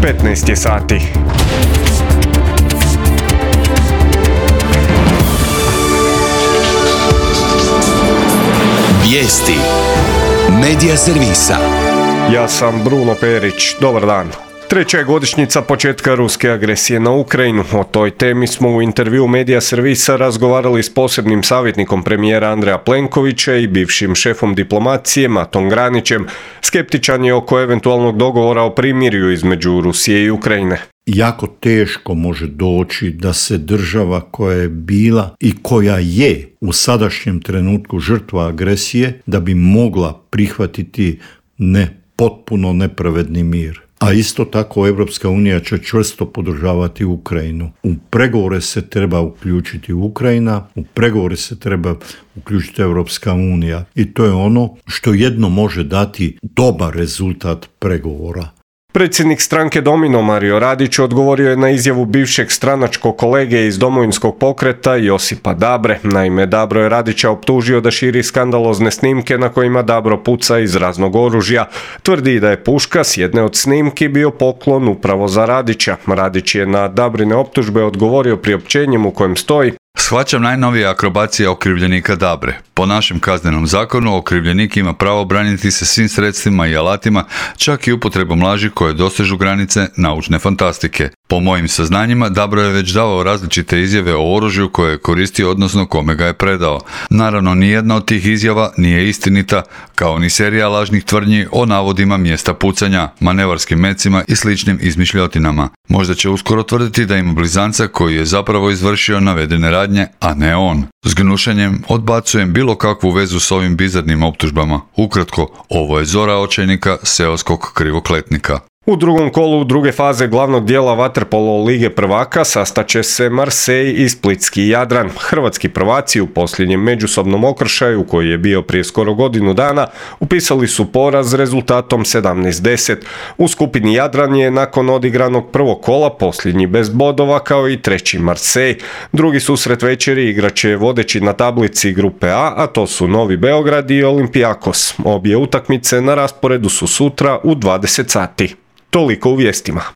15 je sati. Vijesti Medija servisa. Ja sam Bruno Perić, dobar dan. Treća je godišnjica početka ruske agresije na Ukrajinu. O toj temi smo u intervjuu Medija servisa razgovarali s posebnim savjetnikom premijera Andreja Plenkovića i bivšim šefom diplomacije Matom Granićem. Skeptičan je oko eventualnog dogovora o primirju između Rusije i Ukrajine. Jako teško može doći da se država koja je bila i koja je u sadašnjem trenutku žrtva agresije, da bi mogla prihvatiti potpuno nepravedni mir. A isto tako Europska unija će čvrsto podržavati Ukrajinu. U pregovore se treba uključiti Ukrajina, u pregovore se treba uključiti Europska unija. I to je ono što jedno može dati dobar rezultat pregovora. Predsjednik stranke Domino Mario Radić odgovorio je na izjavu bivšeg stranačkog kolege iz Domovinskog pokreta Josipa Dabre. Naime, Dabro je Radića optužio da širi skandalozne snimke na kojima Dabro puca iz raznog oružja. Tvrdi da je puška s jedne od snimki bio poklon upravo za Radića. Radić je na Dabrine optužbe odgovorio priopćenjem u kojem stoji: Shvaćam najnovije akrobacije okrivljenika Dabre. Po našem kaznenom zakonu okrivljenik ima pravo braniti se svim sredstvima i alatima, čak i upotrebom laži koje dosežu granice naučne fantastike. Po mojim saznanjima, Dabro je već davao različite izjave o oružju koje je koristio, odnosno kome ga je predao. Naravno, nijedna od tih izjava nije istinita, kao ni serija lažnih tvrdnji o navodima mjesta pucanja, manevarskim mecima i sličnim izmišljotinama. Možda će uskoro tvrditi da ima blizanca koji je zapravo izvršio navedene radnje, a ne on. S gnušanjem odbacujem bilo kakvu vezu s ovim bizarnim optužbama. Ukratko, ovo je zora očajnika seoskog krivokletnika. U drugom kolu druge faze glavnog dijela vaterpolo Lige prvaka sastaće se Marseille i Splitski Jadran. Hrvatski prvaci u posljednjem međusobnom okršaju, koji je bio prije skoro godinu dana, upisali su poraz rezultatom 17:10. U skupini Jadran je nakon odigranog prvog kola posljednji bez bodova, kao i treći Marseille. Drugi susret večeri igraće vodeći na tablici grupe A to su Novi Beograd i Olympiakos. Obje utakmice na rasporedu su sutra u 20 sati. Toliko u vijestima.